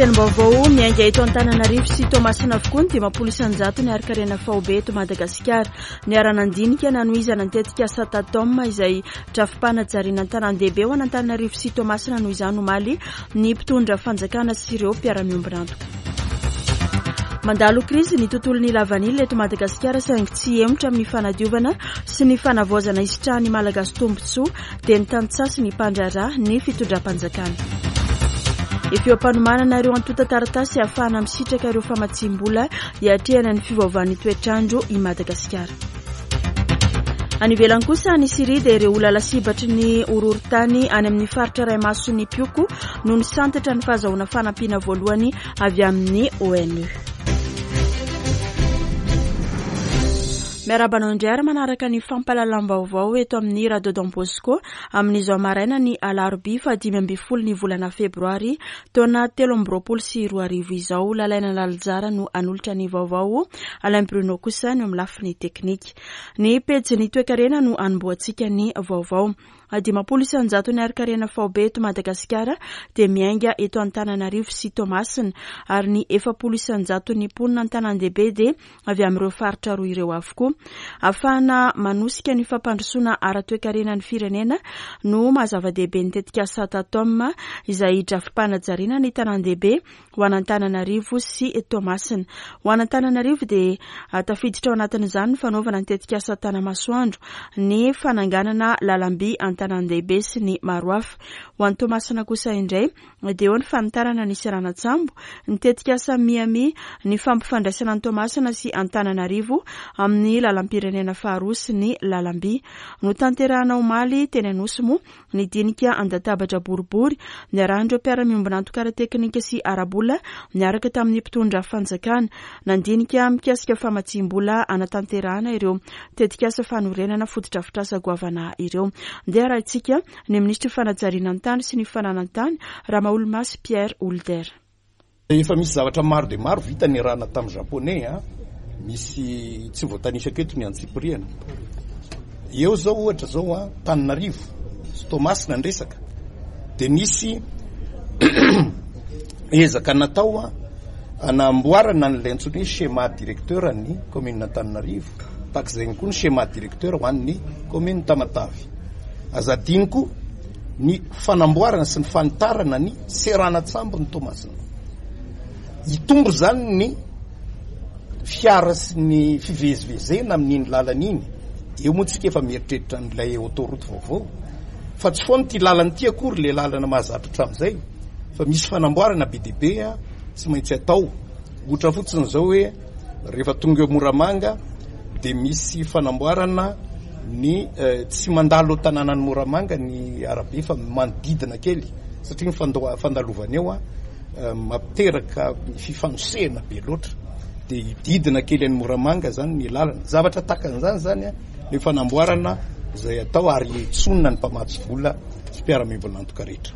Lohatenim-baovao miainga eto Antananarivo sy Toamasina avokoa ny 50% ny harin-karena faobe eto Madagasikara. Niara-nandinika nanohizana ny tetikasa Tatom izay drafi-panajariana an-tanàn-dehibe ho an'Antananarivo sy Toamasina noho izany omaly ny mpitondra fanjakana sy ireo mpiara-miombon'antoka. Mandalo krizy ny tontolon'ny lavanila eto Madagasikara saingy tsy hihemotra amin'ny fanadiovana sy ny fanavaozana hisitrahan'ny Malagasy tombontsoa dia ny tantsaha sy ny mpandraharaha ny fitondram-panjakana. Efa eo am-panomanana ireo antontan-taratasy ahafahana misitraka ireo famatsiam-bola hiatrehana ny fiovaovan'ny toetr'andro i Madagasikara. Any ivelany kosa, any Syria dia ireo olona lasibatry ny horohorontany any amin'ny faritra iray mason'ny mpioko no nisantatra ny fahazahoana fanampiana voalohany avy amin'ny ONU. Miarahaba anao indray ary manaraka ny fampahalalam-baovao eto amin'ny Radio Don Bosco amin'izao maraina ny alarobia faha 15 ny volana febroary taona 2023 izao. Lalaina Lalijara no hanolotra ny vaovao, Alain Bruno kosa no amin'ny lafiny teknika. Ny pejin'ny toekarena no hanombohantsika ny vaovao. 50 isan-jaton'ny harin-karena faobe eto Madagasikara dia miainga eto Antananarivo sy Toamasina ary ny 40 isan-jaton'ny mponina an-tanàn-dehibe dia avy amin'ireo faritra roa ireo avokoa. Ahafahana manosika ny fampandrosoana ara-toekarena ny firenena no maha zava-dehibe ny tetikasa Tatom izay drafi-panajariana ny tanàn-dehibe ho an'Antananarivo sy Toamasina. Ho an'Antananarivo dia tafiditra ao anatin'izany ny fanaovana ny tetikasa Tanamasoandro, ny fananganana lalamby an-tanàn-dehibe sy ny maro hafa. Ho an'i Toamasina kosa indray dia eo ny fanitarana ny seranan-tsambo, ny tetikasa Miami, ny fampifandraisana an'i Toamasina sy Antananarivo amin'ny lalam-pirenena faharoa sy ny lalamby. Notanterahana omaly teny Anosy moa ny dinika an-databatra boribory niarahan'ireo mpiara-miombon'antoka ara-teknika sy ara-bola niaraka tamin'ny mpitondra fanjakana. Nandinika mikasika famatsiam-bola hanatanterahana ireo tetikasa fanorenana fotodrafitrasa goavana ireo. Ndeha arahintsika ny minisitry ny fanajariana ny tany sy ny fananan-tany, Ramaholimasy Pierre Houlder. Efa misy zavatra maro dia maro vita niarahana tamin'ny Japonais a. Misy tsy voatanisako eto ny antsipiriany. Eo zao ohatra zao a, Tananarivo sy Toamasina ny resaka dia nisy ezaka natao a anamboarana an'ilay antsoina hoe schéma directeur ny commune Antananarivo, tahaka izay ihany koa ny schéma directeur ho an'ny commune Tamatave. Aza adino koa ny fanamboarana sy ny fanitarana ny seranan-tsambon'i Toamasina. Hitombo izany ny fiara sy ny fivezivezena amin'iny lalana iny. Eo moa tsika efa mieritreritra an'ilay autoroute vaovao. Fa tsy foana ity lalana ity akory ilay lalana mahazatra hatramin'izay fa misy fanamboarana be dia be tsy maintsy atao. Ohatra fotsiny izao hoe rehefa tonga eo Moramanga dia misy fanamboarana ny tsy mandalo ao tanànan'i Moramanga ny arabe fa manodidina kely satria ny fandalovana eo mampiteraka fifanosehana be loatra dia hididina kely an'i Moramanga zany ny lalana. Zavatra tahaka an'izany zany ny fanamboarana izay atao ary hetsonina ny mpamatsy vola sy mpiara-miombon'antoka rehetra.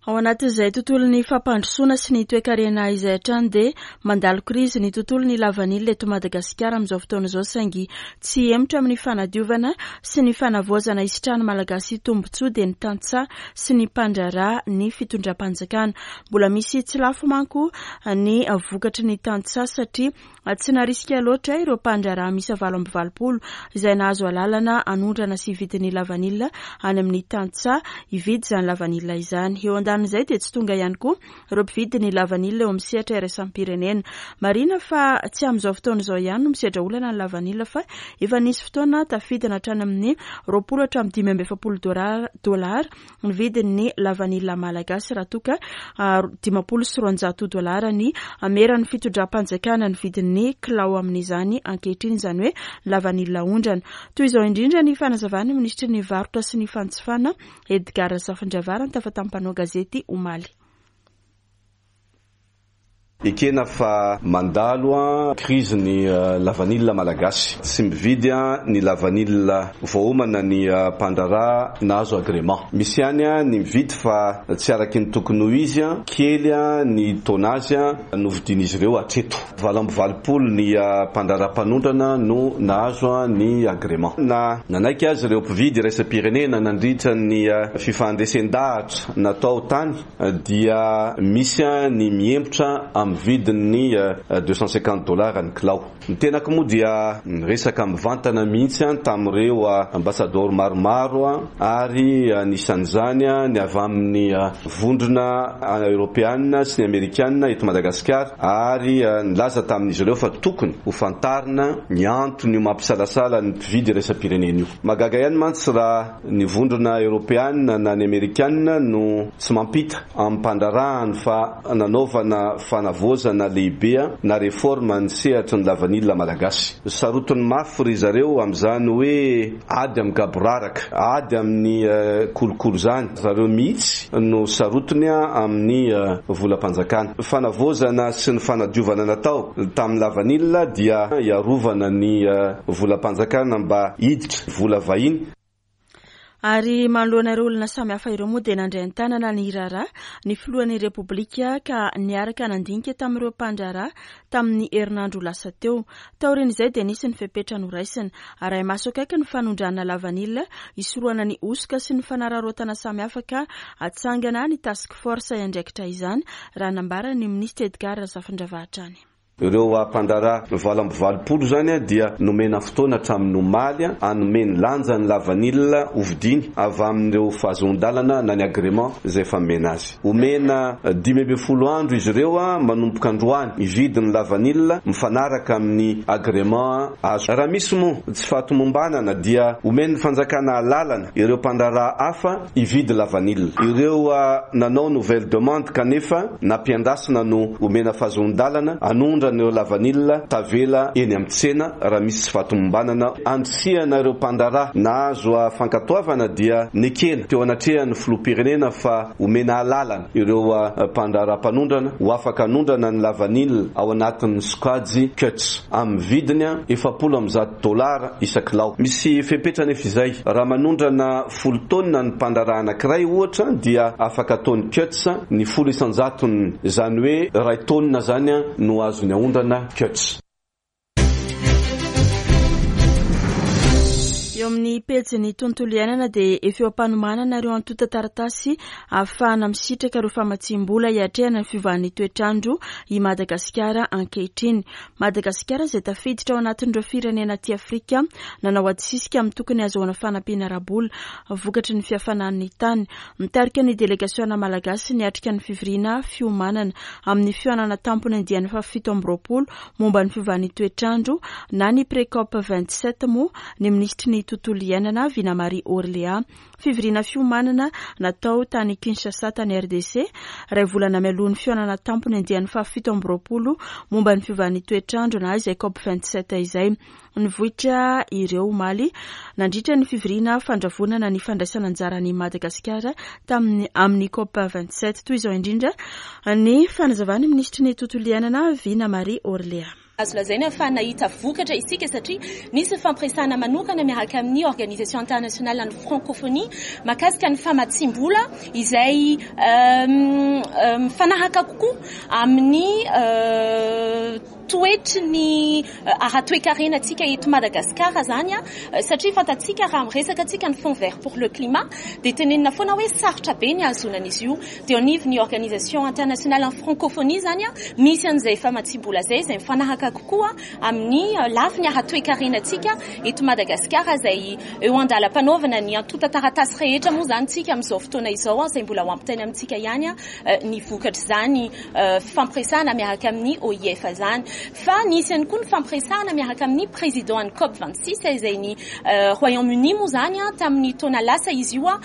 Ao anatin'izay tontolon'ny fampandrosoana sy ny toekarena izay hatrany dia mandalo krizy ny tontolon'ny lavanila eto Madagasikara amin'izao fotoana izao saingy tsy hihemotra amin'ny fanadiovana sy ny fanavaozana hisitrahan'ny Malagasy tombontsoa dia ny tantsaha sy ny mpandraharaha ny fitondram-panjakana. Mbola misy tsy lafo manko ny vokatry ny tantsaha satria Tsy narisika loatra ireo mpandraharaha miisa 88 izay nahazo alalana hanondrana sy hividy ny lavanila any amin'ny tantsaha hividy izany lavanila izany. Eo andanin'izay dia tsy tonga ihany koa ireo mpividy ny lavanila eo amin'ny sehatra iraisam-pirenena. Marihina fa tsy amin'izao fotoana izao ihany no misedra olana ny lavanila fa efa nisy fotoana tafidina hatrany amin'ny 20 hatramin'ny 45 dolara ny vidin'ny lavanila malagasy raha toa ka 250 dolara ny ameran'ny fitondram-panjakana ny vidin'ny kilao amin'izany ankehitriny, izany hoe lavanila aondrana. Toy izao indrindra ny fanazavan'ny minisitry ny varotra sy ny fanjifana Edgard Razafindravarana tafa tamin'ny mpanao gazety omaly. Ekena fa mandalo krizy ny lavanila malagasy. Tsy mividy ny lavanila voaomana ny mpandraharaha nahazo agrément. Misy ihany ny mividy fa tsy araky ny tokony ho izy, kely ny tonnage novidian'izy ireo hatreto. 88 ny mpandraharaha mpanondrana no nahazo ny agrément. Na nanaiky aza ireo mpividy iraisam-pirenena nandritra ny fifahandresen-dahatra natao tany dia misy ny mihemotra amin'ny vidin'ny 250 dollars ny kilao. Ny tenako moa dia niresaka mivantana mihitsy tamin'ireo ambasadaoro maromaro ary anisan'izany ny avy amin'ny vondrona eoropeana sy ny amerikana eto Madagasikara ary nilaza tamin'izy ireo fa tokony ho fantarina ny anton'io mampisalasala ny mpividy iraisam-pirenena io. Mahagaga ihany mantsy raha ny vondrona eoropeana na ny amerikana no tsy mampita amin'ny mpandraharahany fa nanaovana fanavaozana lehibe na réforme ny sehatry ny lavanila malagasy. Sarotiny mafy ry zareo amin'izany hoe ady amin'ny gaboraraka, ady amin'ny kolikoly izany. Zareo mihitsy no sarotiny amin'ny volam-panjakana. Fanavaozana sy ny fanadiovana natao tamin'ny lavanila dia hiarovana ny volam-panjakana mba hiditra vola vahiny. Ary manoloana ireo olona samihafa ireo moa dia nandray an-tanana ny raharaha ny filohan'ny Repoblika ka niaraka nandinika tamin'ireo mpandraharaha tamin'ny herinandro lasa teo. Taorian'izay dia nisy ny fepetra noraisina. Arahi-maso akaiky ny fanondrana lavanila hisorohana ny hosoka sy ny fanararaotana samihafa ka hatsangana ny task force hiandraikitra izany, raha nambaran'ny minisitra Edgard Razafindravaha hatrany. Ireo mpandraharaha 88 izany dia nomena fotoana hatramin'ny omaly hanome ny lanjan'ny lavanila hovidiany avy amin'ireo fahazoan-dalana na ny agrément izay efa nomena azy. Omena 15 andro izy ireo manomboka androany hividy ny lavanila mifanaraka amin'ny agrément azo. Raha misy moa tsy fahatomombanana dia omen'ny fanjakana alalana ireo mpandraharaha hafa hividy lavanila. Ireo nanao nouvelle demande kanefa nampiandrasina no omena fahazoan-dalana hanondrana ireo lavanila tavela eny amin'ny tsena raha misy tsy fahatomombanana. Andrisihana ireo mpandraharaha nahazo fankatoavana dia nekena teo anatrehan'ny filoham-pirenena fa omena alalana ireo mpandraharaha mpanondrana ho afaka hanondrana ny lavanila ao anatin'ny sokajy cuts amin'ny vidiny 140 dolara isa-kilao. Misy fepetra anefa izay. Raha manondrana 10 taonina ny mpandraharaha anankiray ohatra dia afaka ataony cuts ny 10 isan-jatony, izany hoe iray taonina izany no azony aondrana cuts. Eo amin'ny pejin'ny tontolo iainana dia efa eo am-panomanana ireo antontan-taratasy ahafahana misitraka ireo famatsiam-bola hiatrehana ny fiovan'ny toetr'andro i Madagasikara ankehitriny. Madagasikara izay tafiditra ao anatin'ireo firenena aty Afrika nanao adisisika amin'ny tokony hahazoana fanampiana ara-bola vokatry ny fihafanan'ny tany. Mitarika ny delegasiona malagasy niatrika ny fivoriana fiomanana amin'ny fihaonana tampony andiany faha-27 momba ny fiovan'ny toetr'andro na ny Pre-COP 27 moa ny minisitry ny tontolo iainana Vina Marie Orléa. Fivoriana fiomanana natao tany Kinshasa tany RDC, iray volana mialoha ny fihaonana tampony andiany faha-27 momba ny fiovan'ny toetr'andro na izay COP 27 izay. Nivoitra ireo omaly nandritra ny fivoriana fandravonana ny fandraisana anjaran'i Madagasikara tamin'ny amin'ny COP 27. Toy izao indrindra ny fanazavan'ny minisitry ny tontolo iainana Vina Marie Orléa. Azo lazaina fa nahita vokatra isika satria nisy ny fampiresahana manokana miaraka amin'ny Organisation Internationale an'ny Francophonie mahakasika ny famatsiam-bola izay mifanaraka kokoa amin'ny toetry ny ara-toekarena antsika eto Madagasikara izany satria fantatsika raha miresaka antsika ny Fonds vert pour le climat dia tenenina foana hoe sarotra be ny hahazoana an'izy io. Dia eo anivon'ny Organisation Internationale an'ny Francophonie izany misy an'izay famatsiam-bola izay, izay mifanaraka kokoa amin'ny lafiny ara-toekarena antsika eto Madagasikara izay eo an-dalam-panaovana ny antontan-taratasy rehetra moa izany tsika amin'izao fotoana izao izay mbola ho ampitaina amintsika ihany ny vokatr'izany fifampiresahana miaraka amin'ny OIF izany. Fa nisy ihany koa ny fifampiresahana miaraka amin'ny président an'ny COP 26 izay ny Royaume-Uni moa izany tamin'ny taona lasa izy io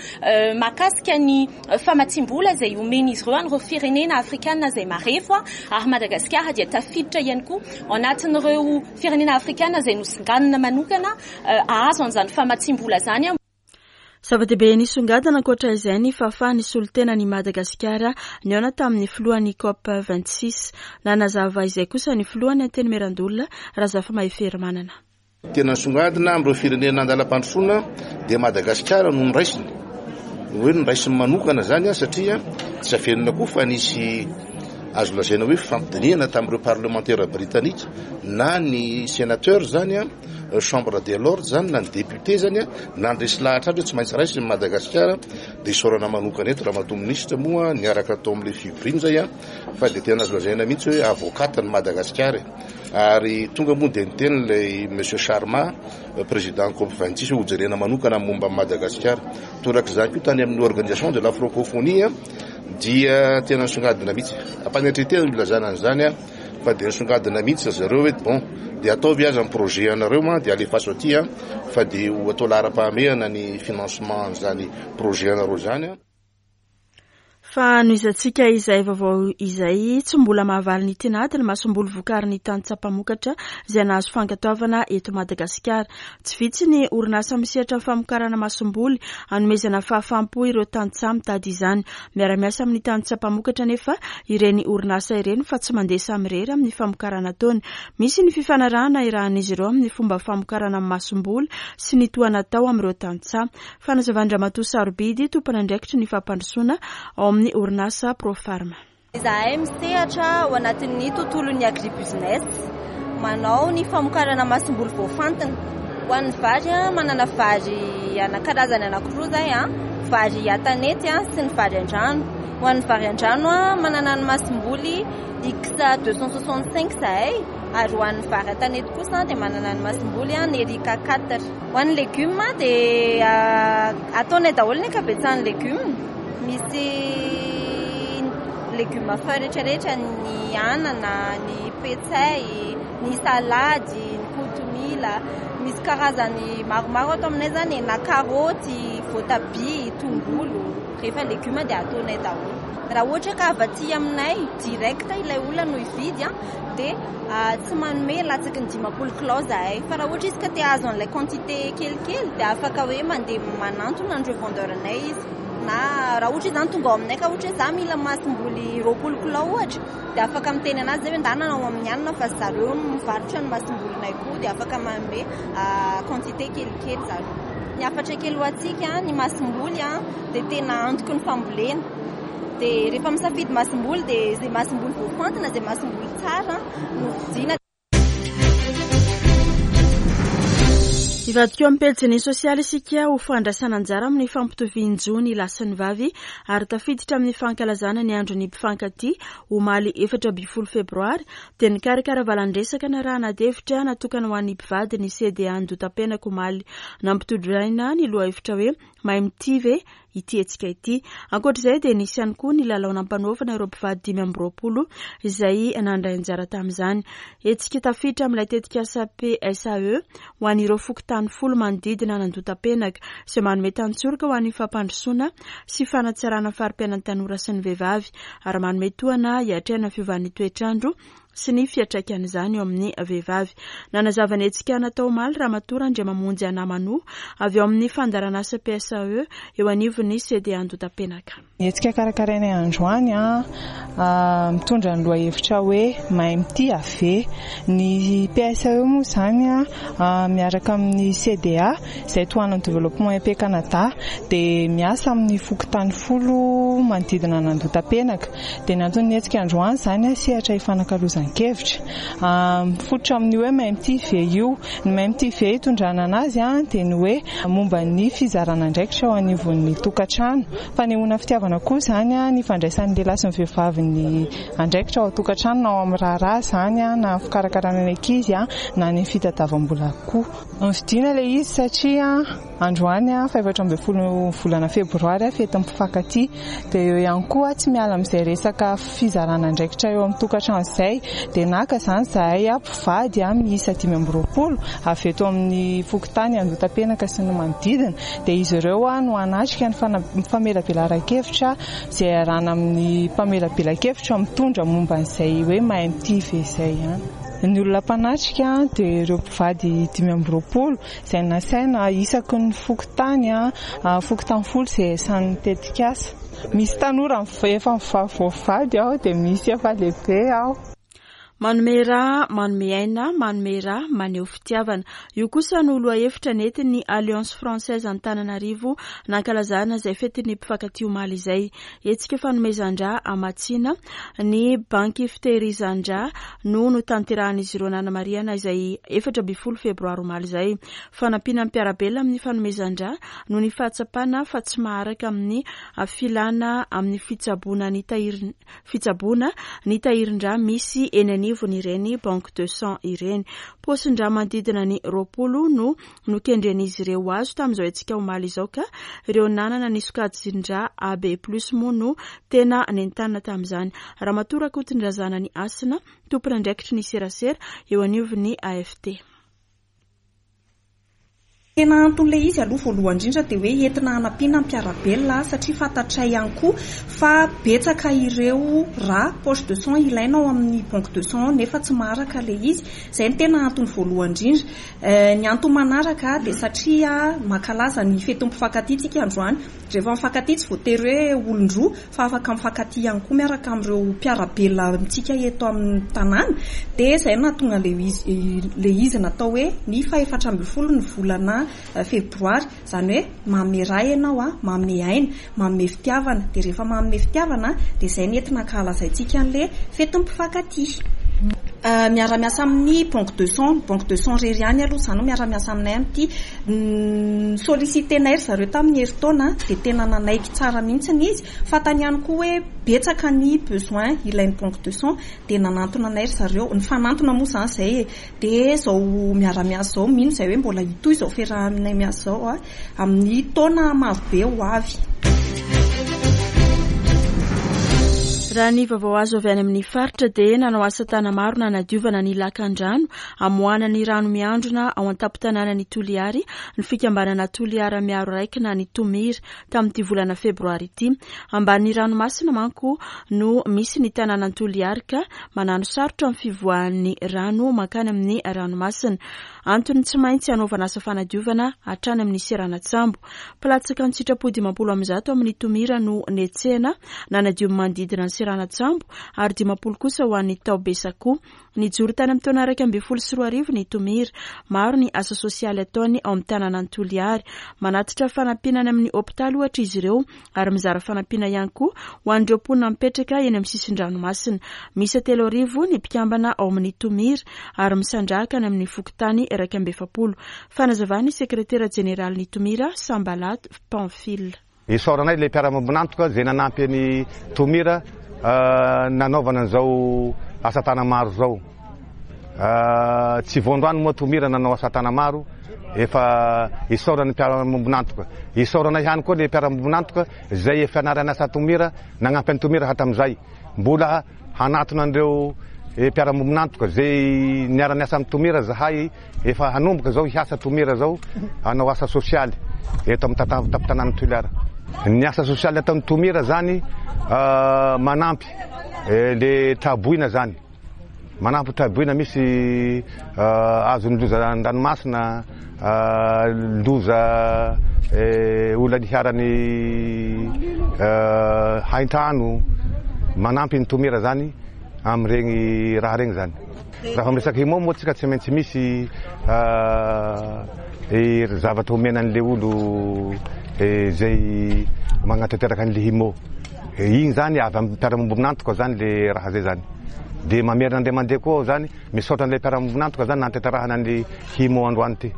mahakasika ny famatsiam-bola izay omen'izy ireo an'ireo firenena afrikana izay marefo ary Madagasikara dia tafiditra ihany koa ao anatin'ireo firenena afrikana izay nosinganina manokana hahazo an'izany famatsiam-bola izany. Zava-dehibe nisongadina ankoatra izay ny fahafahan'ny solontenan'i Madagasikara nihaona tamin'ny filohan'ny COP 26. Nanazava izay kosa ny filohan'ny Antenimierandoholona, Razafimahefery Manana. Tena nisongadina amin'ireo firenena andalam-pandrosoana dia Madagasikara no noraisiny. Ny hoe noraisiny manokana izany satria tsy averina koa fa nisy azo lazaina hoe fifampidinihana tamin'ireo parlemantera britanika na ny sénateur izany, chambre des lords izany na ny député izany nandresy lahatra azy hoe tsy maintsy raisiny Madagasikara. Dia isaorana manokana eto Ramatoa Minisitra moa niaraka tao amin'ilay fivoriana izay fa dia tena azo lazaina mihitsy hoe avocate ny Madagasikara e. Ary tonga moa dia niteny ilay Monsieur Sharma, président COP 26 hoe hojerena manokana ny momba an'i Madagasikara. Torak'izany koa tany amin'ny organisation de la francophonie dia tena nisongadina mihitsy. Ampanetren-tena no ilazana an'izany fa dia nisongadina mihitsy ry zareo hoe bon dia ataovy aza ny projet anareo dia alefaso aty fa dia ho atao laharam-pahamehana ny financement an'izany projet anareo izany. Fa hanohizantsika izay vaovao izay, tsy mbola mahavaly ny tinady ny masomboly vokarin'ny tantsaha mpamokatra izay nahazo fankatoavana eto Madagasikara. Tsy vitsy ny orinasa misehatra amin'ny famokarana masomboly hanomezana fahafaham-po ireo tantsaha mitady izany. Miara-miasa amin'ny tantsaha mpamokatra anefa ireny orinasa ireny fa tsy mandeha samirery amin'ny famokarana ataony. Misy ny fifanarahana irahan'izy ireo amin'ny fomba famokarana masomboly sy ny tohana atao amin'ireo tantsaha. Fanazavan-dRamatoa Sarobidy, tompon'andraikitry ny fampandrosoana ao amin'ny orinasa Profarm. Izahay misehatra ao anatin'ny tontolon'ny agribusiness, manao ny famokarana masomboly voafantina. Ho an'ny vary, manana vary karazany anankiroa izahay, vary an-tanety sy ny vary an-drano. Ho an'ny vary an-drano, manana ny masomboly X 265 izahay, ary ho an'ny vary an-tanety kosa dia manana ny masomboly Nerica 4. Ho an'ny legioma dia ataonay daholo ny ankabetsahan'ny legioma. Misy legioma feuille rehetrarehetra, ny anana, ny petsay, ny salady, ny kotomila. Misy karazany maromaro ato aminay izany, na karaoty, voatabia, tongolo. Rehefa legioma dia ataonay daholo. Raha ohatra ka avy aty aminay direct ilay olona no hividy dia tsy manome latsaky ny 50 kilao zahay. Fa raha ohatra izy ka te hahazo an'ilay quantité kelikely dia afaka hoe mandeha manantona an'ireo vendeur anay izy. Na raha ohatra izy zany tonga ao aminay ka ohatra hoe za mila masomboly 20 kilao ohatra dia afaka miteny anazy zay hoe ndana ao amin'ny anona fa zareo mivarotra ny masombolinay koa dia afaka manome quantité kelikely zareo. Ny hafatra kely ho antsika, ny masomboly dia tena antoky ny fambolena. Dia rehefa misafidy masomboly dia izay masomboly voafantina, izay masomboly tsara no vidiana. Hivadika eo amin'ny pejin'ny sosialy isika ho fandraisana anjara amin'ny fampitovian-jo ny lahy sy ny vavy ary tafiditra amin'ny fankalazana ny andron'ny mpifankatia omaly 14 febroary dia nikarakara valan-dresaka narahana adihevitra natokana ho an'ny mpivady ny CDA Andotapenaka omaly. Nampitondraina ny lohahevitra hoe mahay mitia ve ity hetsika ity. Ankoatra izay dia nisy ihany koa ny lalao nampanaovana ireo mpivady 25 izay nandray anjara tamin'izany. Hetsika tafiditra amin'ilay tetikasa PSAE ho an'ireo fokontany 10 manodidina an'Andotapenaka izay manome tantsoroka ho an'ny fampandrosoana sy fanatsarana fari-piainan'ny tanora sy ny vehivavy ary manome tohana hiatrehana fiovan'ny toetrandro sy ny fiantraikan'izany eo amin'ny vehivavy. Nanazava ny hetsika natao omaly Ramatoa Randriamamonjy Anamano avy ao amin'ny fandaharanasa PSAE eo anivon'ny CDA Andotapenaka. Ny hetsika karakarainay androany mitondra ny lohahevitra hoe mahay mitia ve. Ny PSAE moa izany miaraka amin'ny CDA izay tohanan'ny Développement EP Canada dia miasa amin'ny fokontany 10 manodidina an'Andotapenaka. Dia ny anton'ny hetsika androany izany sehatra ifanakalozan-kevitra. Mifototra amin'ny hoe mahay mitia ve io. Ny mahay mitia ve hitondrana anazy dia ny hoe momba ny fizarana andraikitra ao anivon'ny tokantrano. Fanehoana fitiavana koa izany ny fandraisan'ny lehilahy sy ny vehivavy ny andraikitra ao an-tokantrano na ao amin'ny raharaha izany na ny fikarakarana ny ankizy na ny fitadiavam-bola koa. Novidiana ilay izy satria androany faha-14 volana febroary fetin'ny mpifankatia. Dia eo ihany koa tsy miala amin'izay resaka fizarana andraikitra eo amin'ny tokantrano izay. Dia naka izany izahay mpivady miisa 25 avy eto amin'ny fokontany Andotapenaka sy ny manodidina. Dia izy ireo no hanatrika ny famelabelaran-kevitra izay iarahana amin'ny mpamelabela-kevitra mitondra momba an'izay hoe mahay mitia ve izay ihany. Ny olona mpanatrika dia ireo mpivady 25 izay nasaina isaky ny fokontany, fokontany 10 izay isan'ny tetikasa. Misy tanora efa voavady ao, dia misy efa lehibe ao. Manome rà, manome aina, manome rà, maneho fitiavana. Io kosa no lohahevitra nentin'ny Alliance Française Antananarivo nankalazana izay fetin'ny mpifankatia omaly izay. Hetsika fanomezan-drà hamatsiana ny banky fitehirizan-drà no notanterahan'izy ireo nanamarihana izay 14 febroary omaly izay. Fanampiana ny mpiara-belona amin'ny fanomezan-drà noho ny fahatsapana fa tsy maharaka amin'ny filana amin'ny fitsaboana ny tahirin fitsaboana ny tahirin-drà misy eny anivon'ireny banque de sang ireny. Paosin-drà manodidina ny 20 no nokendren'izy ireo ho azo tamin'izao hetsika omaly izao ka ireo nanana ny sokajin-drà AB plus moa no tena nentanina tamin'izany. Ramatoa Rakotondrazanany Hasina, tompon'andraikitry ny serasera eo anivon'ny AFT. Tena anton'ilay izy aloha voalohany indrindra dia hoe entina hanampiana ny mpiara-belona satria fantatray ihany koa fa betsaka ireo rà, poche de sang, ilaina ao amin'ny banque de sang nefa tsy maharaka ilay izy. Izay no tena antony voalohany indrindra. Ny antony manaraka dia satria mankalaza ny fetin'ny mpifankatia tsika androany. Rehefa mifankatia tsy voatery hoe olon-droa fa afaka mifankatia ihany koa miaraka amin'ireo mpiara-belona amintsika eto amin'ny tanàna. Dia izay no nahatonga ilay izy natao hoe ny faha-14 ny volana febroary. Izany hoe manome rà ianao, manome aina, manome fitiavana. Dia rehefa manome fitiavana dia izay no entina ankahalazaintsika an'ilay fetin'ny mpifankatia. Miara-miasa amin'ny banque de sang, ny banque de sang irery ihany aloha izany no miara-miasa aminay amin'ity. Ni-solliciter-nay ry zareo tamin'ny herintaona dia tena nanaiky tsara mihitsy izy. Fantany ihany koa hoe betsaka ny besoin ilain'ny banque de sang dia nanantona anay ry zareo. Nifanantona moa izany izay e. Dia izao miara-miasa izao, mino izahay hoe mbola hitohy izao fiarahanay miasa izao amin'ny taona marobe ho avy. Raha ny vaovao azo avy any amin'ny faritra dia nanao asa tana-maro nanadiovana ny lakan-drano amoahana ny rano miandrona ao an-tampon-tanànan'i Toliary ny fikambanana Toliara Miaro Raikina ny Tomira tamin'ity volana febroary ity. Ambanin'ny ranomasina manko no misy ny tanànan'i Toliary ka manano sarotra amin'ny fivoahan'ny rano mankany amin'ny ranomasina. Antony tsy maintsy hanaovana asa fanadiovana hatrany amin'ny seranan-tsambo. Mpilatsaka an-tsitrapo 150 amin'ny Tomira no netsehina nanadio ny manodidina ny seranan-tsambo ary 50 kosa ho an'ny tao Besakoa. Nijoro tany amin'ny taona 2011 ny Tomira. Maro ny asa sosialy ataony ao amin'ny tanànan'i Toliary. Manatitra fanampiana any amin'ny hopitaly ohatra izy ireo ary mizara fanampiana ihany koa ho an'ireo mponina mipetraka eny amin'ny sisin-dranomasina. Miisa 3000 ny mpikambana ao amin'ny Tomira ary misandrahaka any amin'ny fokontany 41. Fanazavan'ny sekretera jeneralin'ny Tomira, Sambalato Pamphile. Isaoranay ilay mpiara-miombon'antoka izay nanampy an'i Tomira nanaovana an'izao asa tana-maro izao. Tsy vao androany moa Tomira nanao asa tana-maro, efa isaoran'ny mpiara-miombon'antoka. Isaoranay ihany koa ilay mpiara-miombon'antoka izay efa niara-niasa Tomira, nagnampy an'i Tomira hatramin'izay. Mbola hanatona an'ireo mpiara-miombon'antoka izay niara-niasa amin'i Tomira zahay. Efa hanomboka izao hiasa Tomira izao hanao asa sosialy eto amin'ny tampon-tanànan'i Toliara. Ny asa sosialy ataon'i Tomira izany manampy le traboina izany, manampy traboina misy azon'ny loza an-dranomasina, loza olona niharan'ny haintrano, manampy ny Tomira izany amin'ireny raha ireny izany. Raha vao miresaka IMO moa tsika tsy maintsy misy zavatra omena an'le olo izay magnatanteraka an'le IMO. Igny zany avy amin'ny mpiara-miombon'antoka zany le raha zay zany. Dia mamerina indray mandeha koa aho zany misaotra an'ilay mpiara-miombon'antoka zany nahatanterahana an'le IMO androany ty.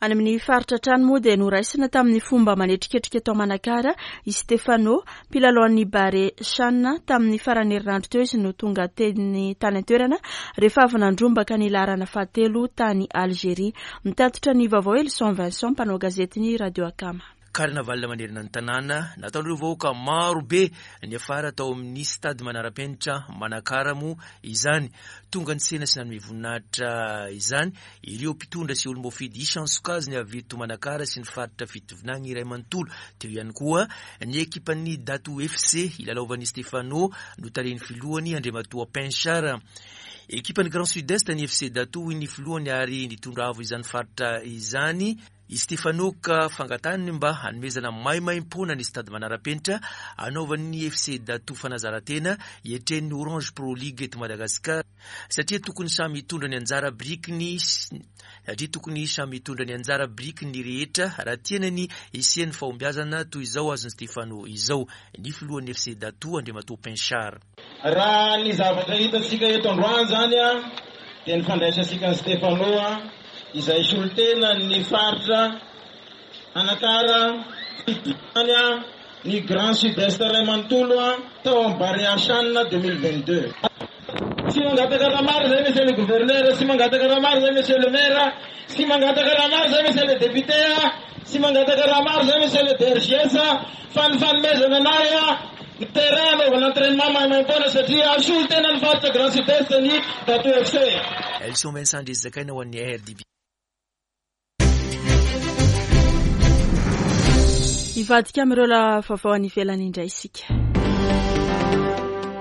Any amin'ny faritra hatrany moa dia noraisina tamin'ny fomba manetriketrika tao Manakara i Stefano, mpilalaon'ny Barea Chan. Tamin'ny faran'ny herinandro teo izy no tonga teny tany an-toerana rehefa avy nandrombaka ny laharana fahatelo tany Algeria. Mitatitra ny vaovao Elison Vincent, mpanao gazetin'ny Radio Akama. Carnaval manerana ny tanàna, nataon'ireo vahoaka maro be niafara tao amin'ny stade manara-penitra Manakara moa izany. Tonga nitsena sy nanome voninahitra izany ireo mpitondra sy olom-boafidy isan-tsokajiny avy eto Manakara sy ny faritra Fitovinagny iray manontolo. Teo ihany koa ny ekipan'ny Dato FC ilalaovan'i Stefano notarihin'ny filohany Andriamatoa Pinchard. Ekipan'ny Grand Sud Est ny FC Dato hoy ny filohany ary nitondra avo izany faritra izany i Stefano ka fangatahany mba hanomezana maimaimpoana ny stade manara-penitra hanaovan'ny FC Dato fanazaran-tena hiatrehan'ny Orange Pro League eto Madagasikara satria tokony samy hitondra ny anjara birikiny satria tokony samy hitondra ny anjara birikiny ny rehetra raha tiana ny hisian'ny fahombiazana toy izao azon'i Stefano izao ny filohan'ny FC Dato Andriamatoa Pinchard. Raha ny zavatra hitantsika eto androany izany dia ny fandraisantsika an'i Stefano izay solontenan'ny faritra Anakara fitondrany ny Grand Sud Est iray manontolo tao amin'ny Barea Chan 2022. Tsy mangataka raha maro izay Monsieur le Gouverneur, tsy mangataka raha maro izay Monsieur le Maire, tsy mangataka raha maro izay Monsieur le Député, tsy mangataka raha maro izay Monsieur le DRGS fa ny fanomezana anay ny terrain hanaovana entrainement maimaimpoana satria solotenan'ny faritra Grand Sud Est ny Dato FC. Elson Vincent Andriazakaina ho an'ny RDB. Hivadika amin'ireo vaovao any ivelany indray isika.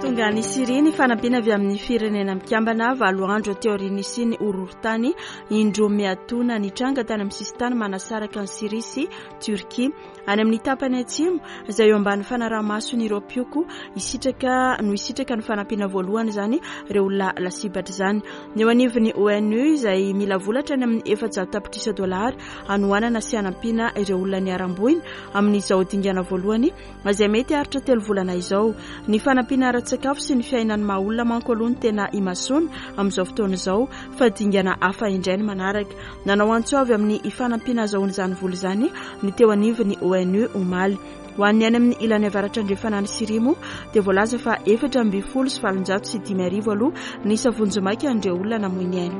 Tonga any Syria ny fanampiana avy amin'ny firenena mikambana valo andro teo aorian'ny nisian'ny horohorontany indroa miatoana nitranga tany amin'ny sisintany manasaraka an'i Syria sy Turquie. Any amin'ny tapany atsimo, izay eo ambany fanaraha-mason'ireo mpioko, hisitraka no hisitraka ny fanampiana voalohany izany ireo olona lasibatra izany. Ny eo anivon'ny ONU izay mila vola hatrany amin'ny 400 tapitrisa dolara hanohanana sy hanampiana ireo olona niharam-boina amin'izao dingana voalohany izay mety haharitra telo volana izao. Ny fanampiana ara-tsakafo sy ny fiainan'ny maha olona manko aloha no tena imasoana amin'izao fotoana izao fa dingana hafa indray ny manaraka. Nanao antso avy amin'ny fanampiana azahoana izany vola izany ny teo anivon'ny ONU omaly. Ho an'ny any amin'ny ilany avaratra andrefana any Syria moa dia voalaza fa 1814 aloha ny isa vonjimaika an'ireo olona namoy ny ainy.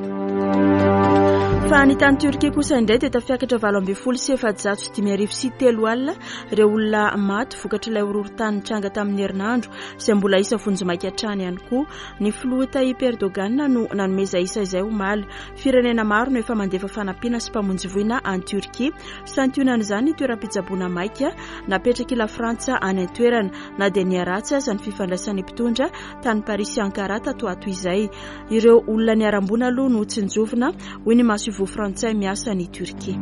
Fa ny tany Turquie kosa indray dia tafiakatra 1418 03 ireo olona maty vokatr'ilay horohorontany nitranga tamin'ny herinandro izay mbola isa vonjimaika hatrany ihany koa. Ny filoha Tayyip Erdogan no nanome izay isa izay omaly. Firenena maro no efa mandefa fanampiana sy mpamonjy voina any Turquie. Santionan'izany ny toeram-pitsaboana maika napetrak'i Lafrantsa any an-toerana, na dia niharatsy aza ny fifandraisan'ny mpitondra tany Paris sy Ankara tato ho ato izay. Ireo olona niharam-boina aloha no tsinjovina, hoy ny masoivoho frantsay miasa any Turquie.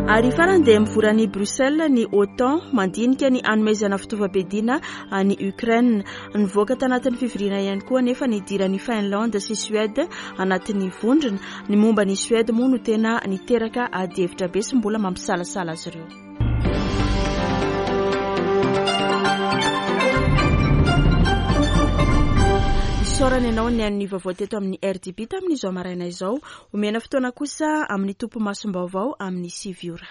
Ary farany dia mivory any Bruxelles ny OTAN mandinika ny hanomezana fitaovam-piadiana an'i Ukraine. Nivoaka tanatin'ny fivoriana ihany koa anefa ny hidiran'i Finlande sy Suède anatin'ny vondrona. Ny momba an'i Suède moa no tena niteraka adihevitra be sy mbola mampisalasala azy ireo. Isaorana ianao nihaino ny vaovao teto amin'ny RDB tamin'izao maraina izao. Omena fotoana kosa amin'ny tompo masom-baovao amin'ny sivy ora.